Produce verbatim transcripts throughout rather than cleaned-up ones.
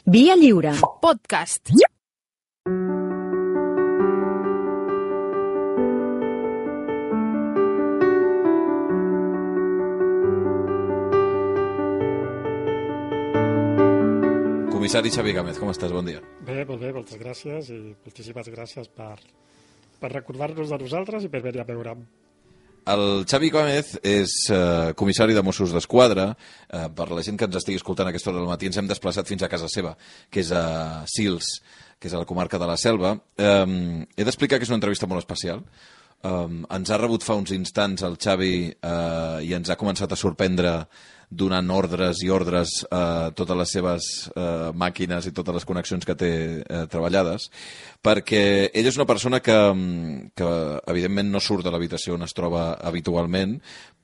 Via Lliure. Podcast. Comissari Xavi Gámez, com estàs? Bon dia. Bé, molt bé, moltes gràcies i moltíssimes gràcies per, per recordar-nos de nosaltres i per venir a veure'm. El Xavi Gámez és eh, comissari de Mossos d'Esquadra. Eh, per la gent que ens estigui escoltant a aquesta hora del matí, ens hem desplaçat fins a casa seva, que és a Sils, que és a la comarca de la Selva. Eh, he d'explicar que és una entrevista molt especial. Um, ens ha rebut fa uns instants el Xavi uh, i ens ha començat a sorprendre donant ordres i ordres a uh, totes les seves uh, màquines i totes les connexions que té uh, treballades, perquè ell és una persona que, que evidentment no surt de l'habitació on es troba habitualment,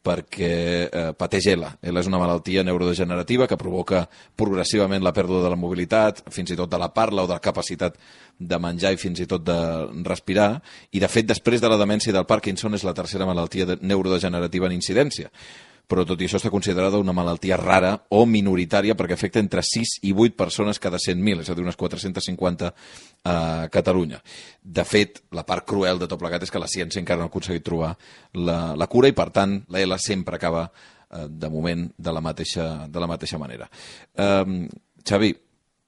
perquè eh, pateix E L A. E L A és una malaltia neurodegenerativa que provoca progressivament la pèrdua de la mobilitat, fins i tot de la parla o de la capacitat de menjar i fins i tot de respirar, i de fet després de la demència del Parkinson és la tercera malaltia de neurodegenerativa en incidència. Però tot i això està considerada una malaltia rara o minoritària perquè afecta entre sis i vuit persones cada cent mil, és a dir, unes quatre-cents cinquanta a Catalunya. De fet, la part cruel de tot plegat és que la ciència encara no ha aconseguit trobar la, la cura i, per tant, l'E L A sempre acaba, eh, de moment, de la mateixa, de la mateixa manera. Eh, Xavi,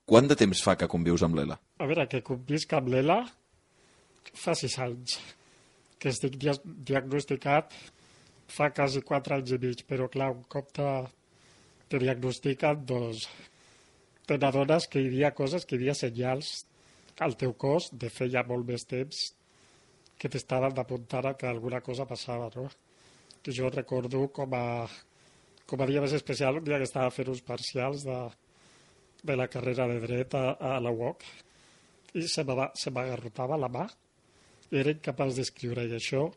quant de temps fa que convius amb l'E L A? A veure, que convisc amb l'E L A fa sis anys, que estic dia diagnosticat fa quasi quatre anys i mig, però clar, un cop te, te diagnostiquen, doncs te n'adones que hi havia coses, que hi havia senyals al teu cos de fer ja molt més temps que t'estaven d'apuntar a que alguna cosa passava, no? Que jo recordo com a, com a dia més especial, un dia que estava fent uns parcials de, de la carrera de dret a, a la U O C i se m'agarrotava la mà i era incapaç d'escriure, i això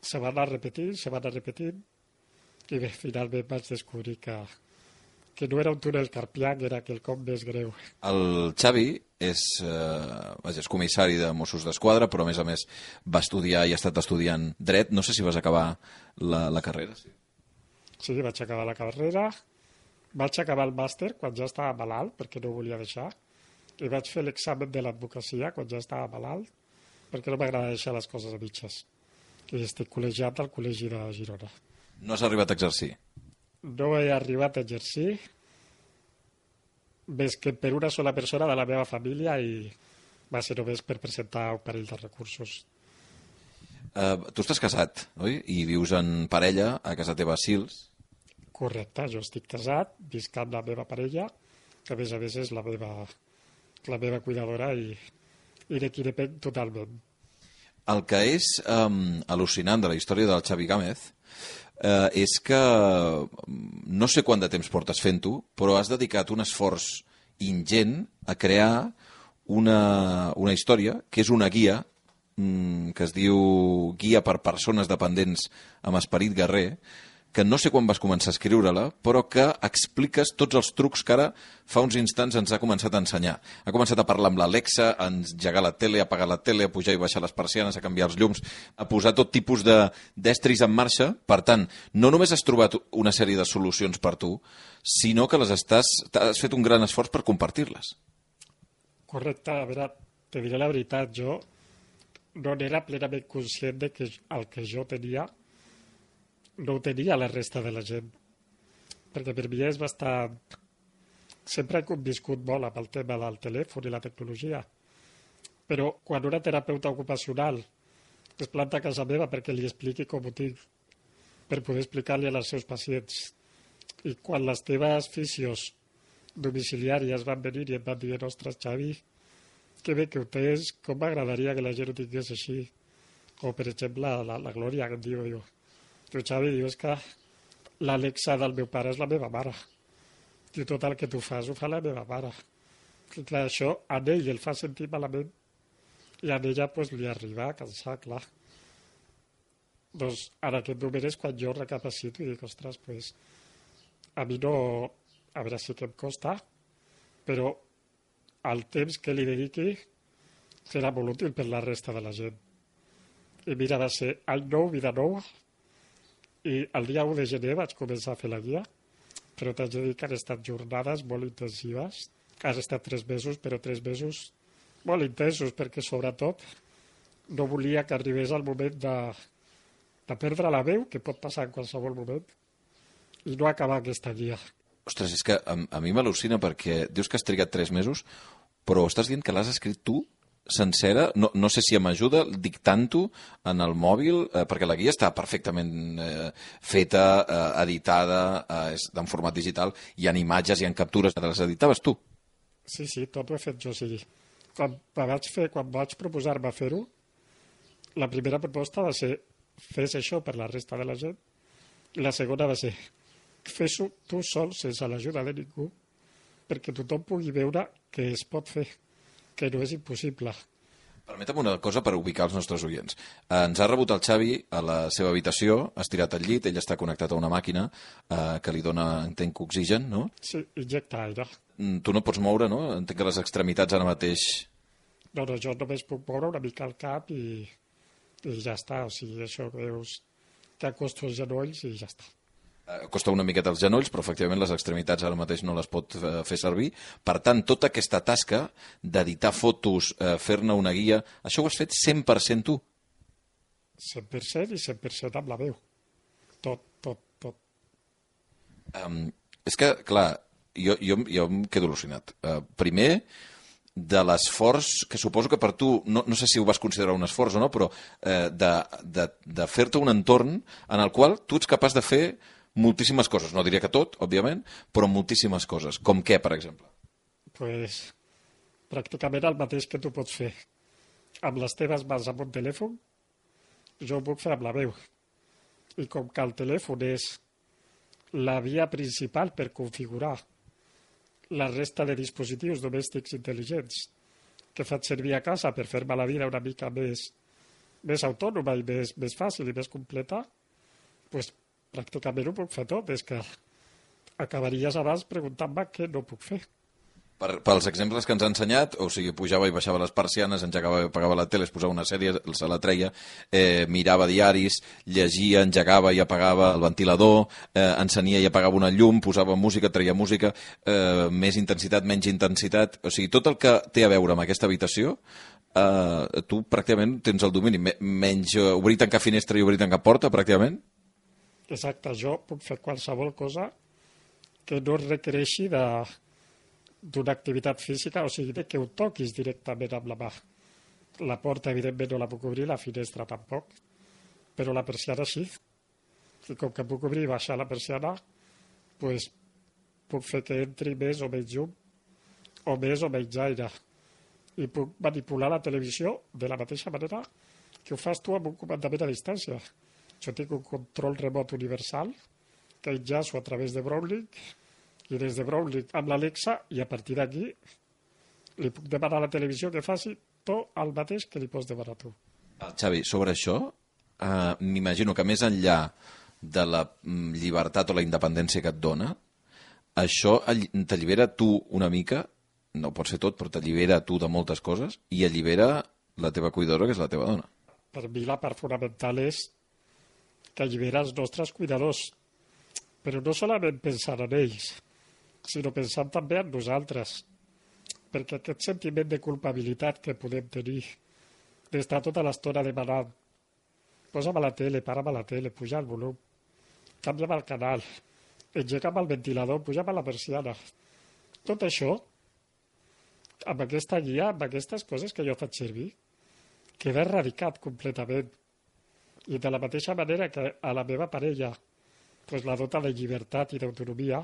se va anar repetint, se va anar repetint, i bé, finalment vaig descobrir que, que no era un túnel carpià, que era quelcom més greu. El Xavi és, eh, és comissari de Mossos d'Esquadra, però a més a més va estudiar i ha estat estudiant dret. No sé si vas acabar la, la carrera. Sí. sí, vaig acabar la carrera, vaig acabar el màster quan ja estava malalt, perquè no ho volia deixar, i vaig fer l'examen de l'advocacia quan ja estava malalt, perquè no m'agrada deixar les coses a mitges. I estic col·legiat al Col·legi de Girona. No has arribat a exercir? No he arribat a exercir, més que per una sola persona de la meva família, i va ser només per presentar un parell de recursos. Uh, tu estàs casat, oi? I vius en parella a casa teva a Sils. Correcte, jo estic casat, visc amb la meva parella, que a més a més és la meva, la meva cuidadora i, i de qui depèn totalment. El que és um, al·lucinant de la història del Xavi Gámez uh, és que no sé quant de temps portes fent-ho, però has dedicat un esforç ingent a crear una, una història que és una guia um, que es diu Guia per persones dependents amb esperit guerrer, que no sé quan vas començar a escriure-la, però que expliques tots els trucs que ara fa uns instants ens ha començat a ensenyar. Ha començat a parlar amb l'Alexa, a engegar la tele, a apagar la tele, a pujar i baixar les persianes, a canviar els llums, a posar tot tipus de d'estris en marxa. Per tant, no només has trobat una sèrie de solucions per tu, sinó que les estàs, has fet un gran esforç per compartir-les. Correcte, a veure, te diré la veritat, jo no n'era plenament conscient de que el que jo tenia no ho tenia la resta de la gent, perquè per mi és bastant... Sempre he conviscut molt amb el tema del telèfon i la tecnologia, però quan una terapeuta ocupacional es planta a casa meva perquè li expliqui com ho tinc, per poder explicar-li als seus pacients, i quan les teves fisios domiciliàries van venir i em van dir, ostres, Xavi, que bé que ho tens, com m'agradaria que la gent ho tingués així, o per exemple la, la Glòria, que em diu, diu, tu, Xavi, dius que l'Alexa del meu pare és la meva mare. I tot el que tu fas ho fa la meva mare. I clar, això a ell el fa sentir malament i a ella pues, li arriba a cansar, clar. Doncs en aquest moment és quan jo recapacito i dic, ostres, pues, a mi no... A veure, sí que em costa, però el temps que li dediqui serà molt útil per la resta de la gent. I mira, va ser any nou, vida nou, i el dia u de gener vaig començar a fer la guia, però t'haig de dir que han estat jornades molt intensives has estat tres mesos, però tres mesos molt intensos, perquè sobretot no volia que arribés el moment de, de perdre la veu, que pot passar en qualsevol moment, i no acabar aquesta guia. Ostres, és que a, a mi m'al·lucina perquè dius que has trigat tres mesos, però estàs dient que l'has escrit tu sencera, no, no sé si m'ajuda dictant-ho en el mòbil, eh, perquè la guia està perfectament eh, feta, eh, editada, eh, és en format digital, hi ha imatges, hi ha captures, les editaves tu? Sí, sí, tot ho he fet jo, sí. Quan vaig, fer, quan vaig proposar-me fer-ho, la primera proposta va ser fes això per la resta de la gent, i la segona va ser fes-ho tu sol, sense l'ajuda de ningú, perquè tothom pugui veure que es pot fer, que no és impossible. Permetem una cosa per ubicar els nostres oients. Eh, ens ha rebut el Xavi a la seva habitació, ha estirat al llit, ell està connectat a una màquina eh, que li dona, entenc, oxigen, no? Sí, injecta aire. Mm, tu no pots moure, no? Entenc que les extremitats ara mateix... No, no, jo només puc moure una mica el cap i, i ja està. O sigui, això veus que acosto els genolls i ja està. Costa una miqueta els genolls, però efectivament les extremitats ara mateix no les pot eh, fer servir. Per tant, tota aquesta tasca d'editar fotos, eh, fer-ne una guia, això ho has fet cent per cent tu? cent per cent i cent per cent amb la veu. Tot, tot, tot. Um, és que, clar, jo, jo, jo em quedo al·lucinat. Uh, primer, de l'esforç, que suposo que per tu, no, no sé si ho vas considerar un esforç o no, però eh, de, de, de fer-te un entorn en el qual tu ets capaç de fer moltíssimes coses. No diria que tot, òbviament, però moltíssimes coses. Com què, per exemple? Pues, pràcticament el mateix que tu pots fer amb les teves mans amb un telèfon, jo ho puc fer amb la veu. I com que el telèfon és la via principal per configurar la resta de dispositius domèstics intel·ligents que faig servir a casa per fer-me la vida una mica més, més autònoma i més, més fàcil i més completa, pues, pràcticament ho puc fer tot. És que acabaries abans preguntant-me què no puc fer. Per, pels exemples que ens ha ensenyat, o sigui, pujava i baixava les persianes, engegava i apagava la tele, es posava una sèrie, se la treia, eh, mirava diaris, llegia, engegava i apagava el ventilador, eh, encenia i apagava una llum, posava música, treia música, eh, més intensitat, menys intensitat... O sigui, tot el que té a veure amb aquesta habitació, eh, tu pràcticament tens el domini. Menys eh, obrir i tancar finestra i obrir i tancar porta, pràcticament? Exacte, jo puc fer qualsevol cosa que no requereixi de... d'una activitat física, o sigui, que ho toquis directament amb la mà. La porta, evidentment, no la puc obrir, la finestra tampoc, però la persiana sí. I com que puc obrir i baixar la persiana, pues, puc fer que entri més o menys llum, o més o menys aire. I puc manipular la televisió de la mateixa manera que ho fas tu amb un comandament a distància. Jo tinc un control remot universal que enllaço a través de Brownlink i des de Brownlink amb l'Alexa, i a partir d'aquí li puc demanar a la televisió que faci tot el mateix que li pots demanar tu. Xavi, sobre això, eh, m'imagino que més enllà de la llibertat o la independència que et dona, això t'allibera tu una mica, no pot ser tot, però t'allibera tu de moltes coses i allibera la teva cuidadora, que és la teva dona. Per mi la part fonamental és que allibera els nostres cuidadors, però no solament pensant en ells, sinó pensant també en nosaltres, perquè aquest sentiment de culpabilitat que podem tenir, d'estar tota l'estona demanant posa'm a la tele, para'm a la tele, puja el volum, canvia'm el canal, engega'm el ventilador, puja'm a la persiana. Tot això, amb aquesta guia, amb aquestes coses que jo faig servir, queda erradicat completament. I de la mateixa manera que a la meva parella pues, la dota de llibertat i d'autonomia,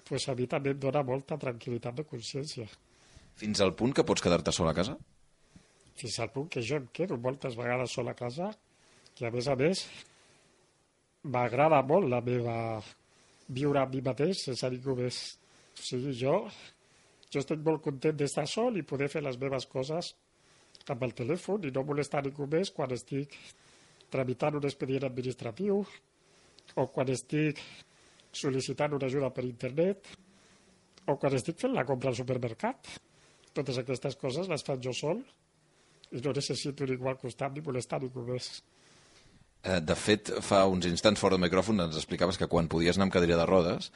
pues, a mi també em dona molta tranquil·litat de consciència. Fins al punt que pots quedar-te sola a casa? Fins al punt que jo em quedo moltes vegades sola a casa, i a més a més m'agrada molt la meva viure amb mi mateix sense ningú més. O sigui, jo, jo estic molt content d'estar sol i poder fer les meves coses amb el telèfon i no molestar ningú més quan estic tramitant un expedient administratiu o quan estic sol·licitant una ajuda per internet o quan estic fent la compra al supermercat. Totes aquestes coses les faig jo sol i no necessito ningú al costat ni molestar ningú més. De fet, fa uns instants fora del micròfon ens explicaves que quan podies anar amb cadira de rodes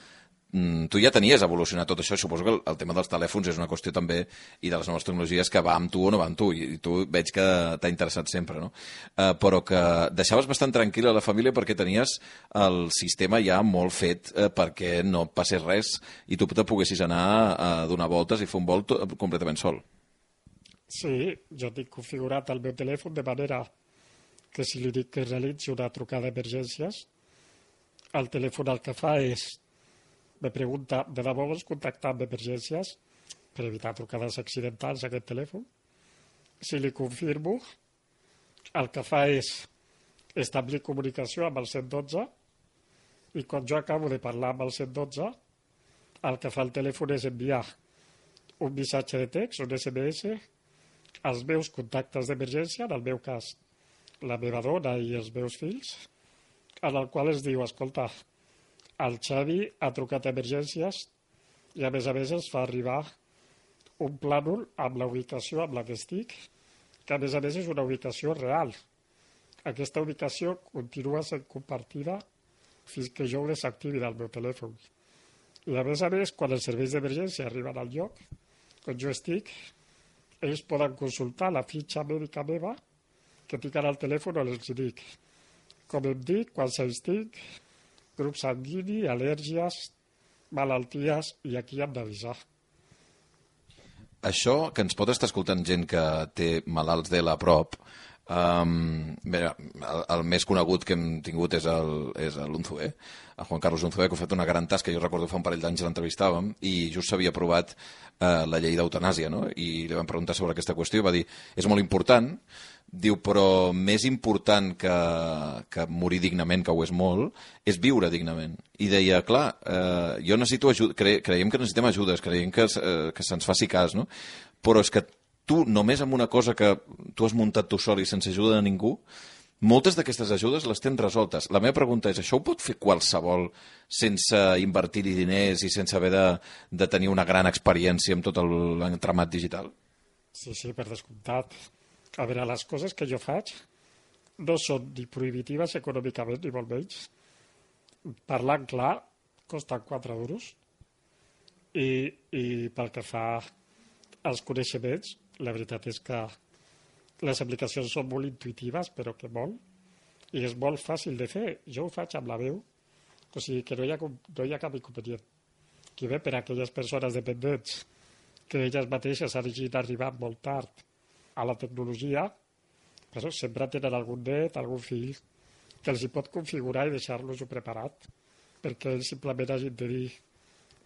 mm, tu ja tenies evolucionat tot això. Suposo que el, el tema dels telèfons és una qüestió també, i de les noves tecnologies, que va amb tu o no va amb tu, i, i tu veig que t'ha interessat sempre, no? Uh, però que deixaves bastant tranquil·la la família perquè tenies el sistema ja molt fet uh, perquè no passés res i tu te poguessis anar a donar voltes i fer un vol completament sol. Sí, jo tinc configurat el meu telèfon de manera que si li dic que realitzi una trucada d'emergències, el telèfon el que fa és, me pregunta, de debò vols contactar amb emergències per evitar trucades accidentals a aquest telèfon? Si li confirmo, el que fa és establir comunicació amb el cent dotze i quan jo acabo de parlar amb el cent dotze, el que fa el telèfon és enviar un missatge de text, un esse eme esse, als meus contactes d'emergència, en el meu cas, la meva dona i els meus fills, en el qual es diu, escolta, el Xavi ha trucat a emergències i a més a més ens fa arribar un plànol amb la ubicació amb la que estic, que a més a més és una ubicació real. Aquesta ubicació continua sent compartida fins que jo ho desactivi del meu telèfon. I a més a més, quan els serveis d'emergència arriben al lloc on jo estic, ells poden consultar la fitxa mèdica meva que tinc al telèfon on els dic com em dic, quants anys tinc, grup sanguini, al·lèrgies, malalties, i aquí hem d'avisar. Això, que ens pot estar escoltant gent que té malalts de la prop, um, bé, el, el més conegut que hem tingut és el, és l'Unzué, el Juan Carlos Unzué, que ha fet una gran tasca. Jo recordo fa un parell d'anys l'entrevistàvem i just s'havia aprovat uh, la llei d'eutanàsia, no? I li vam preguntar sobre aquesta qüestió i va dir, és molt important. Diu, però més important que, que morir dignament, que ho és molt, és viure dignament. I deia, clar, eh, jo necessito ajuda, cre creiem que necessitem ajudes, creiem que, eh, que se'ns faci cas, no? Però és que tu, només amb una cosa que tu has muntat tu sol i sense ajuda de ningú, moltes d'aquestes ajudes les tens resoltes. La meva pregunta és, això ho pot fer qualsevol sense invertir-hi diners i sense haver de, de tenir una gran experiència amb tot l'entramat digital? Sí, sí, per descomptat. A veure, les coses que jo faig no són ni prohibitives econòmicament, ni molt menys. Parlant clar, costen quatre duros. I, i pel que fa als coneixements, la veritat és que les aplicacions són molt intuitives, però que molt. I és molt fàcil de fer. Jo ho faig amb la veu, o sigui que no hi ha, no hi ha cap inconvenient. Qui ve per a aquelles persones dependents que elles mateixes hagin arribat molt tard a la tecnologia, però sempre tenen algun net, algun fill, que els hi pot configurar i deixar-los-ho preparat, perquè ells simplement hagin de dir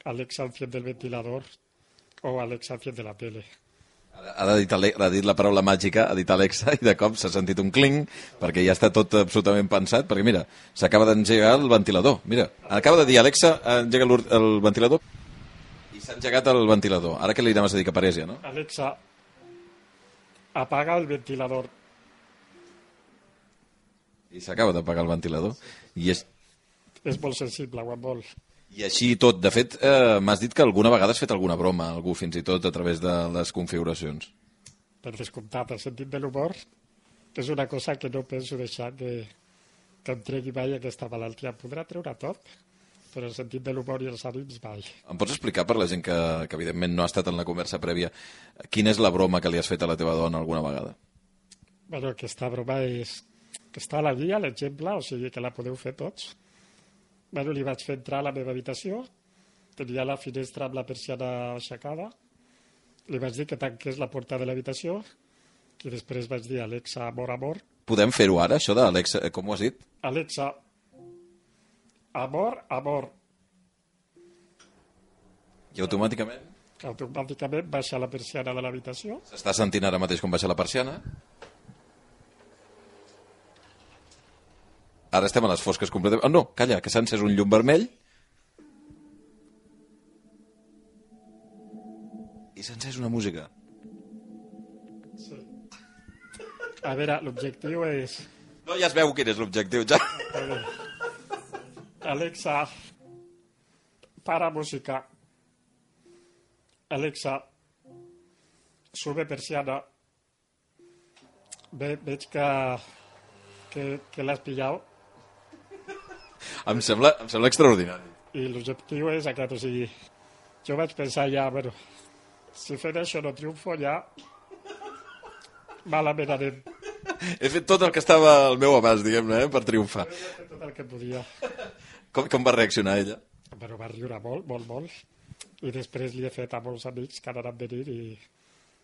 Alexa, enciende el ventilador o Alexa, enciende la tele. Ha dit, ha dit la paraula màgica, ha dit Alexa, i de cop s'ha sentit un cling, perquè ja està tot absolutament pensat, perquè mira, s'acaba d'engegar el ventilador. Mira, acaba de dir Alexa, engega el ventilador, i s'ha engegat el ventilador. Ara que li anaves a dir que parés ja, no? Alexa, apaga el ventilador. I s'acaba d'apagar el ventilador. I és... és molt sensible, ho molt. I així tot. De fet, eh, m'has dit que alguna vegada has fet alguna broma, algú fins i tot a través de les configuracions. Per descomptat, el sentit de l'humor és una cosa que no penso deixar que, que em tregui mai aquesta malaltia. Em podrà treure tot, però el sentit de l'humor i els ànims mai. Em pots explicar, per la gent que, que evidentment no ha estat en la conversa prèvia, quina és la broma que li has fet a la teva dona alguna vegada? Bueno, aquesta broma és que està a la guia, l'exemple, o sigui que la podeu fer tots. Bueno, li vaig fer entrar a la meva habitació, tenia la finestra amb la persiana aixecada, li vaig dir que tanqués la porta de l'habitació i després vaig dir Alexa, amor, amor. Podem fer-ho ara, això d'Alexa, com ho has dit? Alexa, amor, amor. I automàticament? Automàticament baixa la persiana de l'habitació. S'està sentint ara mateix com baixa la persiana? Ara estem a les fosques completament... Oh, no, calla, que s'ha encès un llum vermell. I s'ha encès una música. Sí. A veure, l'objectiu és... No, ja es veu quin és l'objectiu, ja. Alexa, para música. Alexa, sube persiana. Ve, veig que, que, que l'has pillat. Em sembla, em sembla extraordinari. I l'objectiu és aquest, o sigui, jo vaig pensar ja, bueno, si fent això no triomfo ja, malament anem. He fet tot el que estava al meu abast, diguem-ne, eh, per triomfar. He fet tot el que podia. Com, com va reaccionar ella? Bueno, va riure molt, molt, molt. I després li he fet a molts amics que han anat venint i,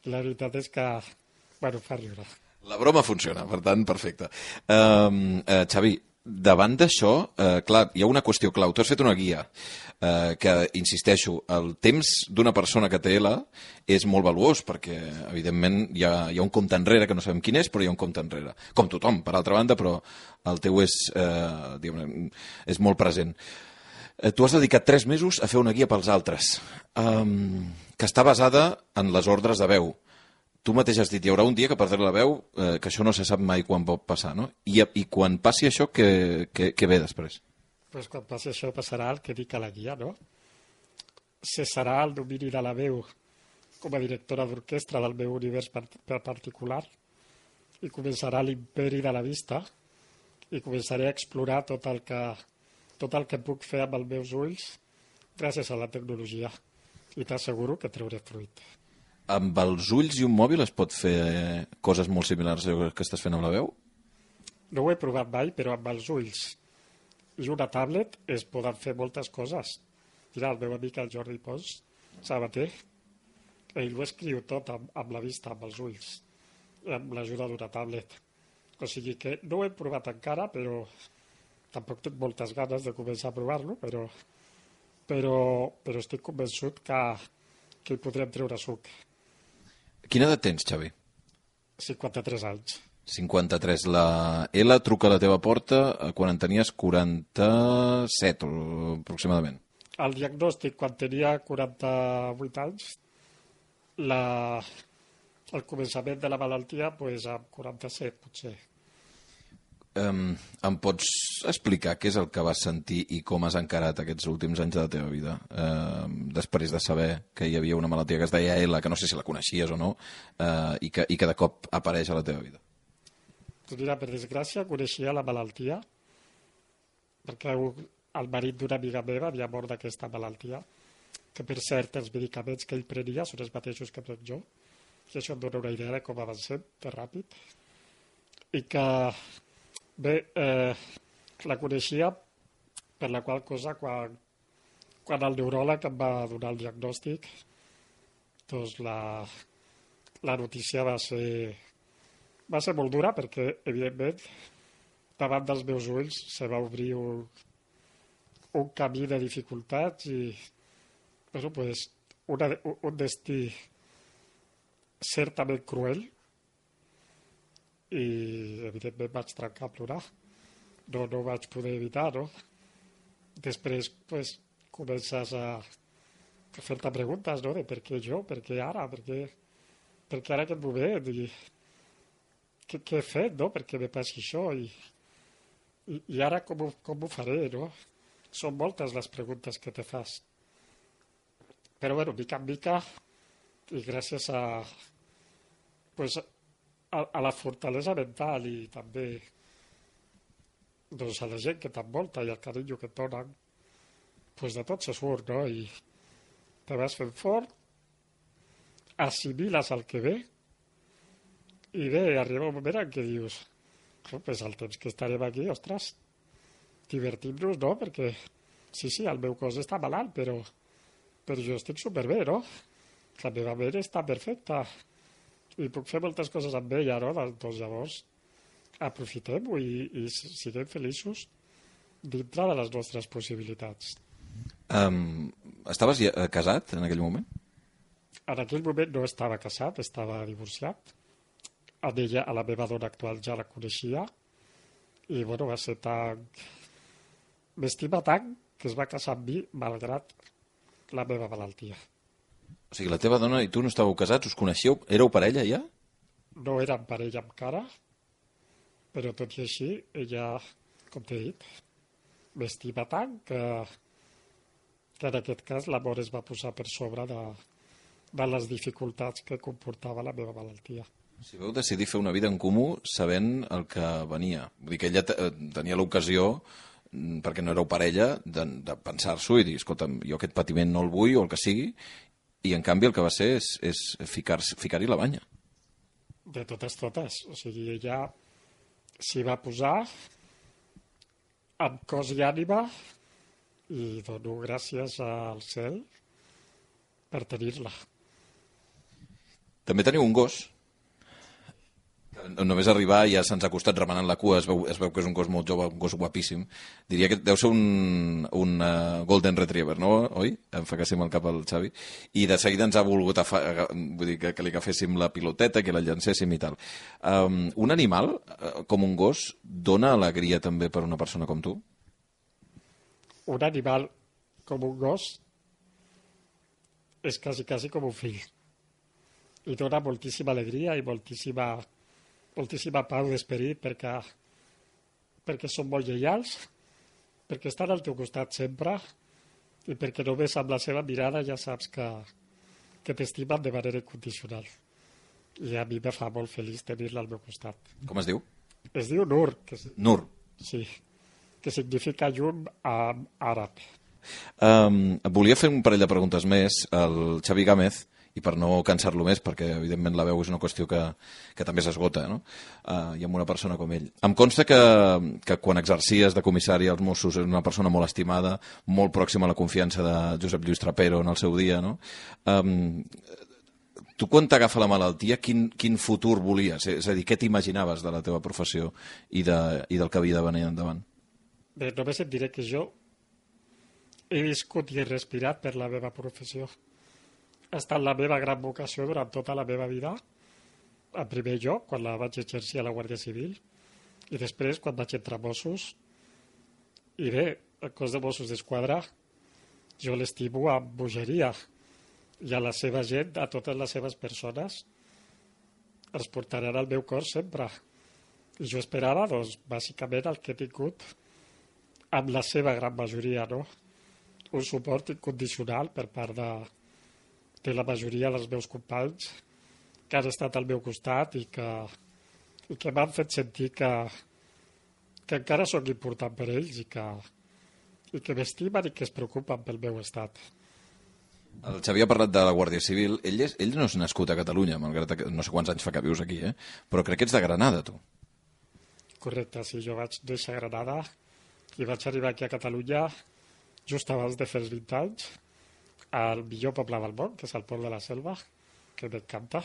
i la veritat és que, bueno, fa riure. La broma funciona, per tant, perfecte. Uh, uh, Xavi, davant d'això, uh, clar, hi ha una qüestió clau. Tu has fet una guia uh, que, insisteixo, el temps d'una persona que té ela és molt valuós, perquè, evidentment, hi ha, hi ha un compte enrere, que no sabem quin és, però hi ha un compte enrere. Com tothom, per altra banda, però el teu és, uh, diguem, és molt present. Uh, tu has dedicat tres mesos a fer una guia pels altres, um, que està basada en les ordres de veu. Tu mateix has dit, hi haurà un dia que perdré la veu, eh, que això no se sap mai quan pot passar, no? I, i quan passi això, què, què, què ve després? Pues quan passi això passarà el que dic a la guia, no? Cessarà el domini de la veu com a directora d'orquestra del meu univers per, per particular i començarà l'imperi de la vista i començaré a explorar tot el que, tot el que puc fer amb els meus ulls gràcies a la tecnologia i t'asseguro que trauré fruit. Amb els ulls i un mòbil es pot fer coses molt similars a allò que estàs fent amb la veu? No ho he provat mai, però amb els ulls i una tablet es poden fer moltes coses. Mira, el meu amic el Jordi Pons, sabater, ell ho escriu tot amb, amb la vista, amb els ulls, amb l'ajuda d'una tablet. O sigui que no ho he provat encara, però tampoc tinc moltes ganes de començar a provar-lo, però, però, però estic convençut que, que hi podrem treure suc. Quina edat tens, Xavi? cinquanta-tres anys. cinquanta-tres. La ela truca a la teva porta quan en tenies quaranta-set, aproximadament. El diagnòstic, quan tenia quaranta-vuit anys, la, el començament de la malaltia, pues, amb quaranta-set, potser. Um, em pots explicar què és el que vas sentir i com has encarat aquests últims anys de la teva vida? Uh, després de saber que hi havia una malaltia que es deia ela, que no sé si la coneixies o no, uh, i, que, i que de cop apareix a la teva vida. Doncs mira, per desgràcia, coneixia la malaltia, perquè el marit d'una amiga meva havia mort d'aquesta malaltia, que per cert els medicaments que ell prenia són els mateixos que prenc jo, i això em dona una idea de com avancem, de ràpid, i que bé, eh, la coneixia per la qual cosa quan, quan el neuròleg em va donar el diagnòstic, doncs la, la notícia va ser, va ser molt dura perquè, evidentment, davant dels meus ulls se va obrir un, un camí de dificultats i bueno, pues, una, un destí certament cruel, i evidentment vaig trencar a plorar. No, no ho vaig poder evitar, no? Després, pues, comences a, a fer-te preguntes, no? De per què jo, per què ara, per què, per què ara aquest moment, i què, què he fet, no? Per què me passi això, i, i, i ara com ho, com ho faré, no? Són moltes les preguntes que te fas. Però, bueno, mica en mica, i gràcies a, pues, a, a la fortalesa mental i també doncs, a la gent que t'envolta i el carinyo que et donen, pues de tot se surt, no? I te vas fent fort, assimiles el que ve, i bé, arriba un moment en què dius, oh, pues el temps que estarem aquí, ostres, divertim-nos, no? Perquè, sí, sí, el meu cos està malalt, però, però jo estic superbé, no? La meva ment està perfecta, i puc fer moltes coses amb ella, no? Doncs llavors aprofitem-ho i, i siguem feliços dintre de les nostres possibilitats. Um, estaves ja, uh, casat en aquell moment? En aquell moment no estava casat, estava divorciat. A ella, a la meva dona actual, ja la coneixia i, bueno, va ser tan... M'estima tant que es va casar amb mi malgrat la meva malaltia. O sigui, la teva dona i tu no estàveu casats, us coneixeu? Éreu parella ja? No érem parella encara, però tot i així, ella, com t'he dit, m'estima tant que, que en aquest cas l'amor es va posar per sobre de, de les dificultats que comportava la meva malaltia. Si vau decidir fer una vida en comú sabent el que venia. Vull dir que ella tenia l'ocasió perquè no éreu parella, de, de pensar-s'ho i dir, escolta, jo aquest patiment no el vull o el que sigui, i en canvi el que va ser és, és ficar-hi ficar la banya. De totes, totes. O sigui, ella s'hi va posar amb cos i ànima i dono gràcies al cel per tenir-la. També teniu un gos. Només arribar ja se'ns ha acostat remenant la cua, es veu, es veu que és un gos molt jove, un gos guapíssim. Diria que deu ser un, un uh, Golden Retriever, no? Oi? Em fa que sí amb el cap al Xavi. I de seguida ens ha volgut afa vull dir, que, que li agaféssim la piloteta, que la llancéssim i tal. Um, un animal, uh, com un gos, dona alegria també per una persona com tu? Un animal com un gos és quasi, quasi com un fill. I dona moltíssima alegria i moltíssima... moltíssima pau d'esperit perquè, perquè són molt lleials, perquè estan al teu costat sempre i perquè només amb la seva mirada ja saps que, que t'estimen de manera incondicional. I a mi me fa molt feliç tenir-la al meu costat. Com es diu? Es diu Nur. Que és, Nur. sí, que significa llum en àrab. Um, volia fer un parell de preguntes més al Xavi Gámez, i per no cansar-lo més, perquè evidentment la veu és una qüestió que, que també s'esgota, no? Uh, i amb una persona com ell. Em consta que, que quan exercies de comissari als Mossos és una persona molt estimada, molt pròxima a la confiança de Josep Lluís Trapero en el seu dia, no? Um, tu quan t'agafa la malaltia, quin, quin futur volies? És a dir, què t'imaginaves de la teva professió i, de, i del que havia de venir endavant? Bé, només et diré que jo he viscut i he respirat per la meva professió. Ha estat la meva gran vocació durant tota la meva vida, en primer lloc, quan la vaig exercir a la Guàrdia Civil, i després quan vaig entrar a Mossos. I bé, el cos de Mossos d'Esquadra jo l'estimo amb bogeria, i a la seva gent, a totes les seves persones, els portaran al meu cor sempre. I jo esperava, doncs, bàsicament el que he tingut amb la seva gran majoria, no? Un suport incondicional per part de de la majoria dels meus companys que han estat al meu costat i que, i que m'han fet sentir que, que encara sóc important per ells i que, i que m'estimen i que es preocupen pel meu estat. El Xavi ha parlat de la Guàrdia Civil. Ell, és, ell no és nascut a Catalunya, malgrat que no sé quants anys fa que vius aquí, eh? Però crec que ets de Granada, tu. Correcte, sí, jo vaig néixer a Granada i vaig arribar aquí a Catalunya just abans de fer els vint anys, al millor poble del món, que és el Port de la Selva, que m'encanta.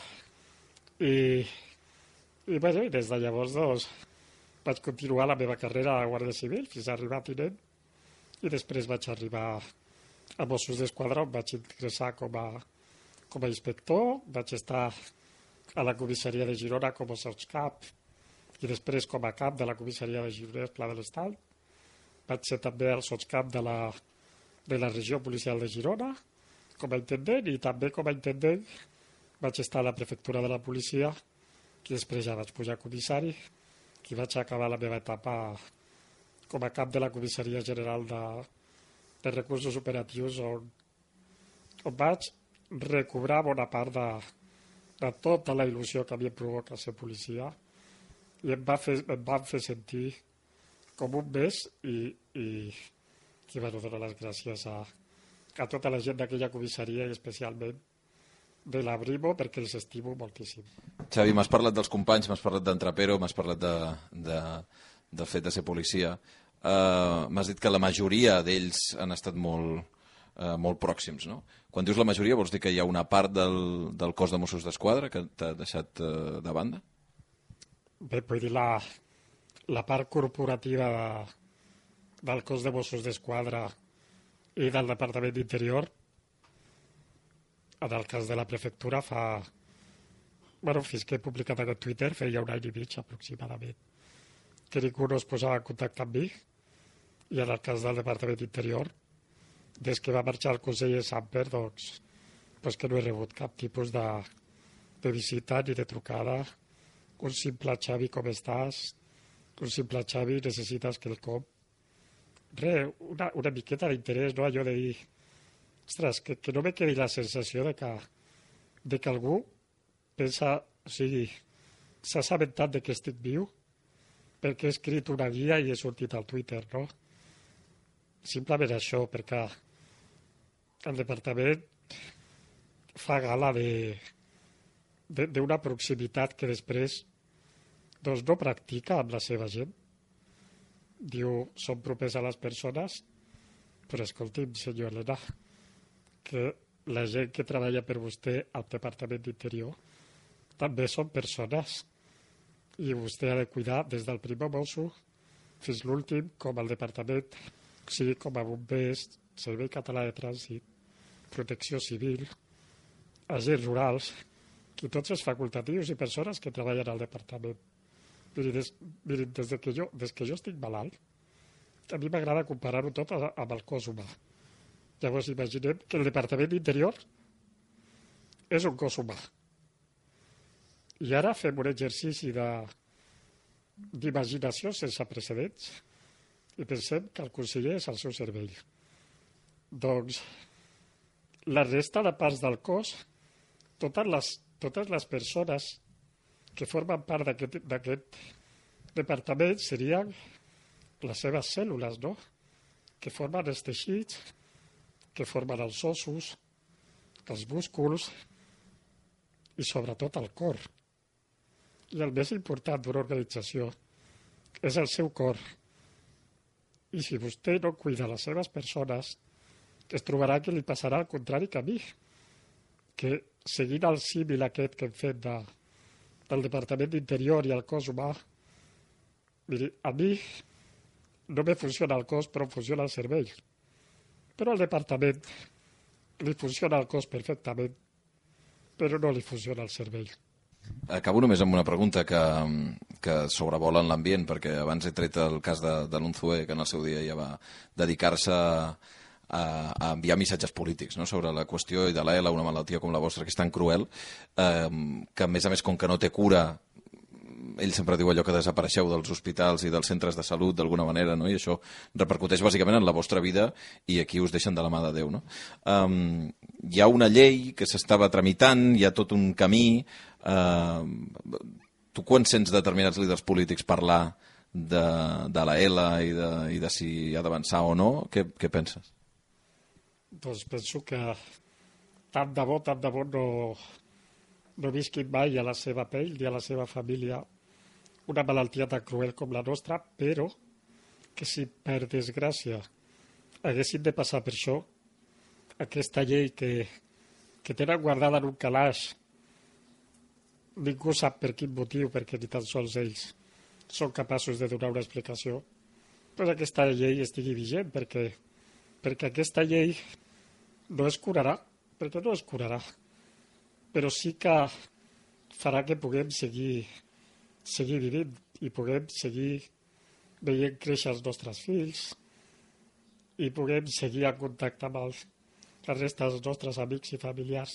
I, i, bueno, i des de llavors doncs, vaig continuar la meva carrera a la Guàrdia Civil fins a arribar a tinent i després vaig arribar a Mossos d'Esquadra on vaig ingressar com a, com a inspector, vaig estar a la comissaria de Girona com a sotscap i després com a cap de la comissaria de Girona, Pla de l'Estany. Vaig ser també el sotscap de la, de la regió policial de Girona com a intendent i també com a intendent vaig estar a la prefectura de la policia i després ja vaig pujar a comissari i vaig acabar la meva etapa com a cap de la comissaria general de, de recursos operatius on, on vaig recobrar bona part de, de tota la il·lusió que havia provocat ser policia i em, va fer, em van fer sentir com un mes i, i, i bueno, dono les gràcies a a tota la gent d'aquella comissaria i especialment de la Brimo perquè els estimo moltíssim. Xavi, m'has parlat dels companys, m'has parlat d'en Trapero, m'has parlat de, de, del fet de ser policia. Uh, m'has dit que la majoria d'ells han estat molt, uh, molt pròxims, no? Quan dius la majoria vols dir que hi ha una part del, del cos de Mossos d'Esquadra que t'ha deixat uh, de banda? Bé, vull dir, la, la part corporativa de, del cos de Mossos d'Esquadra i del Departament d'Interior, en el cas de la prefectura, fa... Bueno, fins que he publicat aquest Twitter, feia un any i mig aproximadament, que ningú no es posava en contacte amb mi, i en el cas del Departament d'Interior, des que va marxar el conseller Samper, doncs, doncs que no he rebut cap tipus de, de visita ni de trucada. Un simple Xavi, com estàs? Un simple Xavi, necessites quelcom? Re, una, una miqueta d'interès, no? Allò de dir, ostres, que, que no me quedi la sensació de que, de que algú pensa, o sigui, s'ha assabentat de que estic viu perquè he escrit una guia i he sortit al Twitter, no? simplement això, perquè el departament fa gala de d'una proximitat que després doncs, no practica amb la seva gent. Diu, som propers a les persones, però escolti'm, senyor Elena, que la gent que treballa per vostè al Departament d'Interior també són persones i vostè ha de cuidar des del primer mosso fins l'últim, com al departament, o sigui, com a bombers, Servei Català de Trànsit, Protecció Civil, agents rurals, i tots els facultatius i persones que treballen al departament. Mirin, des, mirin, des, de que jo, des que jo estic malalt, a mi m'agrada comparar-ho tot amb el cos humà. Llavors imaginem que el Departament d'Interior és un cos humà. I ara fem un exercici de d'imaginació sense precedents i pensem que el conseller és al seu servei. Doncs la resta de parts del cos, totes les, totes les persones que formen part d'aquest departament serien les seves cèl·lules, no? Que formen els teixits, que formen els ossos, els músculs i sobretot el cor. I el més important d'una organització és el seu cor. I si vostè no cuida les seves persones, es trobarà que li passarà el contrari que a mi, que seguint el símil aquest que hem fet de, del Departament d'Interior i el cos humà, miri, a mi no me funciona el cos, però funciona el cervell. Però al departament li funciona el cos perfectament, però no li funciona el cervell. Acabo només amb una pregunta que, que sobrevola en l'ambient, perquè abans he tret el cas de, de l'Unzué, que en el seu dia ja va dedicar-se a, a enviar missatges polítics, no?, sobre la qüestió i de l'E L A, una malaltia com la vostra, que és tan cruel, eh, que a més a més, com que no té cura, ell sempre diu allò que desapareixeu dels hospitals i dels centres de salut d'alguna manera, no? I això repercuteix bàsicament en la vostra vida i aquí us deixen de la mà de Déu, no? Um, hi ha una llei que s'estava tramitant, hi ha tot un camí. Uh, tu quan sents determinats líders polítics parlar de, de la E L A i de, i de si ha d'avançar o no, què, què penses? Doncs penso que tant de bo, tant de bo no, no visquin mai a la seva pell ni a la seva família una malaltia tan cruel com la nostra, però que si per desgràcia haguessin de passar per això, aquesta llei que, que tenen guardada en un calaix, ningú sap per quin motiu, perquè ni tan sols ells són capaços de donar una explicació, doncs aquesta llei estigui vigent, perquè, perquè aquesta llei no es curarà, perquè no es curarà, però sí que farà que puguem seguir, seguir vivint i puguem seguir veient créixer els nostres fills i puguem seguir en contacte amb els, la resta dels nostres amics i familiars.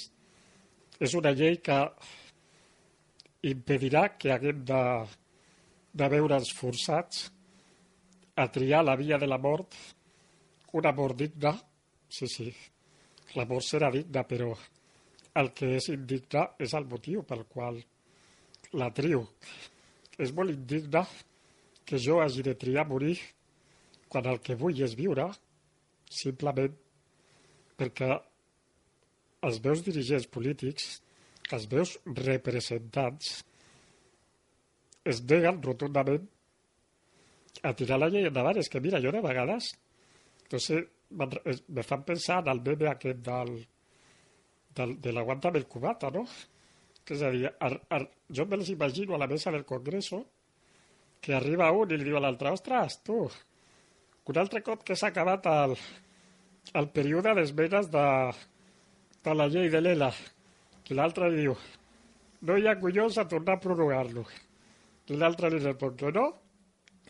És una llei que impedirà que haguem de, de veure'ns forçats a triar la via de la mort, una mort digna, sí, sí, la mort serà digna, però el que és indigne és el motiu pel qual la trio. És molt indigne que jo hagi de triar morir quan el que vull és viure, simplement perquè els meus dirigents polítics, els meus representants, es neguen rotundament a tirar la llei endavant. És que, mira, jo de vegades, no sé, me fan pensar en el meme aquest del, del, de l'aguántame el cubata, no? Que és a dir, ar, ar, jo me les imagino a la mesa del Congreso que arriba un i li diu a l'altre, ostres, tu, un altre cop que s'ha acabat el, el període d'esmenes de, de la llei de l'E L A. I l'altre li diu, no hi ha collons a tornar a prorrogar-lo. I l'altre li respon que no,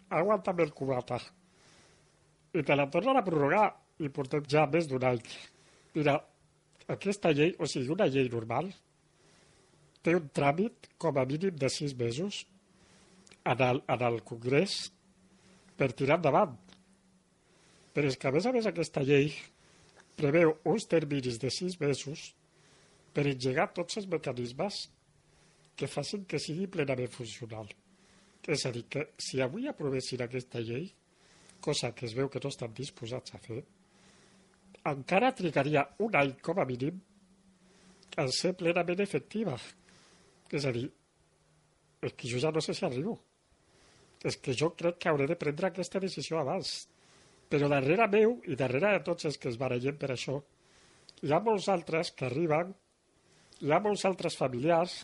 aguanta'm el cubata. I te la tornen a prorrogar i portem ja més d'un any. Mira, aquesta llei, o sigui, una llei normal, té un tràmit com a mínim de sis mesos en el, en el Congrés per tirar endavant. Però és que, a més a més, aquesta llei preveu uns terminis de sis mesos per engegar tots els mecanismes que facin que sigui plenament funcional. És a dir, que si avui aprovessin aquesta llei, cosa que es veu que no estan disposats a fer, encara trigaria un any com a mínim a ser plenament efectiva. És a dir, és que jo ja no sé si arribo. És que jo crec que hauré de prendre aquesta decisió abans. Però darrere meu i darrere de tots els que es barallen per això, hi ha molts altres que arriben, hi ha molts altres familiars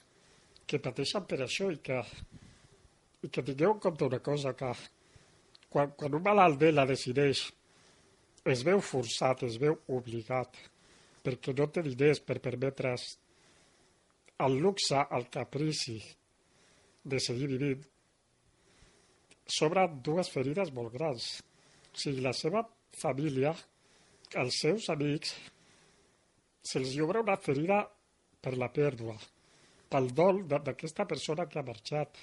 que pateixen per això i que, i que tingueu en compte una cosa, que quan, quan un malalt de la decideix, es veu forçat, es veu obligat, perquè no té diners per permetre's el luxe, el caprici de seguir vivint, s'obren dues ferides molt grans. O sigui, la seva família, els seus amics, se'ls obre una ferida per la pèrdua, pel dol d'aquesta persona que ha marxat.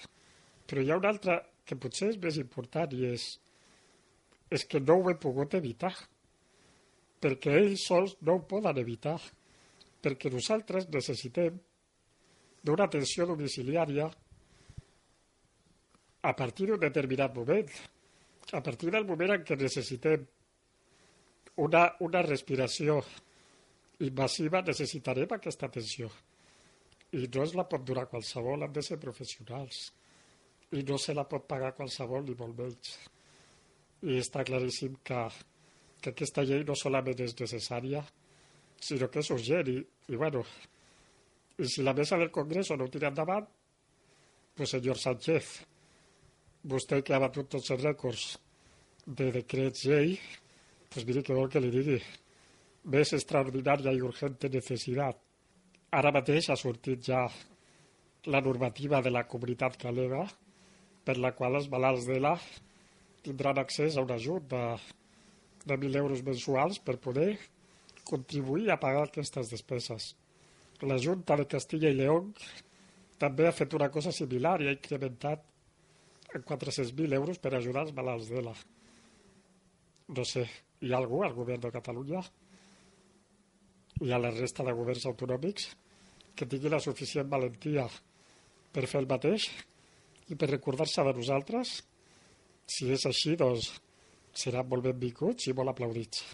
Però hi ha una altra que potser és més important i és, és que no ho he pogut evitar, perquè ells sols no ho poden evitar, perquè nosaltres necessitem d'una atenció domiciliària a partir d'un determinat moment, a partir del moment en què necessitem una, una respiració invasiva, necessitarem aquesta atenció. I no es la pot donar qualsevol, han de ser professionals. I no se la pot pagar qualsevol, ni molt menys. I està claríssim que, que aquesta llei no solament és necessària, sinó que és urgent. I, i bueno, i si la mesa del Congreso no ho tira endavant, pues senyor Sánchez, vostè que ha batut tots els rècords de decrets llei, pues miri què vol que li digui. Més extraordinària i urgente necessitat. Ara mateix ha sortit ja la normativa de la comunitat galega per la qual els malalts d'E L A tindran accés a un ajut de, de mil euros mensuals per poder contribuir a pagar aquestes despeses. La Junta de Castilla i León també ha fet una cosa similar i ha incrementat en quatre-cents mil euros per ajudar els malalts d'E L A. No sé, hi ha algú al govern de Catalunya i a la resta de governs autonòmics que tingui la suficient valentia per fer el mateix i per recordar-se de nosaltres? Si és així, doncs seran molt benvinguts i molt aplaudits.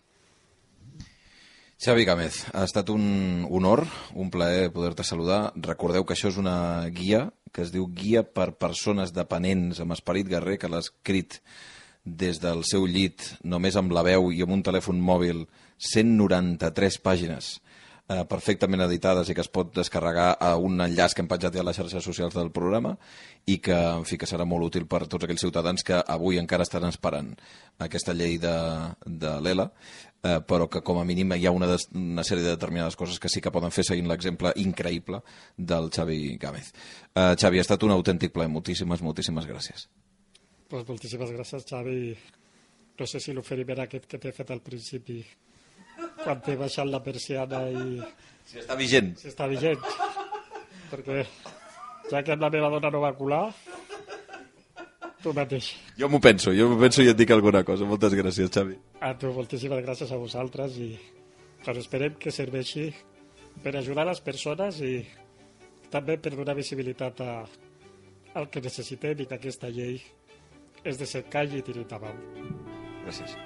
Xavi Gámez, ha estat un honor, un plaer poder-te saludar. Recordeu que això és una guia que es diu Guia per persones dependents amb esperit guerrer, que l'ha escrit des del seu llit, només amb la veu i amb un telèfon mòbil, cent noranta-tres pàgines eh, perfectament editades i que es pot descarregar a un enllaç que hem penjat ja a les xarxes socials del programa i que, en fi, que serà molt útil per tots aquells ciutadans que avui encara estan esperant aquesta llei de, de l'E L A, eh, però que com a mínim hi ha una, des, una sèrie de determinades coses que sí que poden fer seguint l'exemple increïble del Xavi Gámez. Eh, Xavi, ha estat un autèntic plaer. Moltíssimes, moltíssimes gràcies. Pues moltíssimes gràcies, Xavi. No sé si l'oferiment aquest que t'he fet al principi, quan t'he baixat la persiana i... Si està vigent. Si està vigent. Perquè ja que amb la meva dona no va colar, tu mateix. Jo m'ho penso, jo m'ho penso i et dic alguna cosa. Moltes gràcies, Xavi. A tu, moltíssimes gràcies a vosaltres i doncs esperem que serveixi per ajudar les persones i també per donar visibilitat a, al que necessitem i que aquesta llei és de ser call i tirar endavant. Gràcies.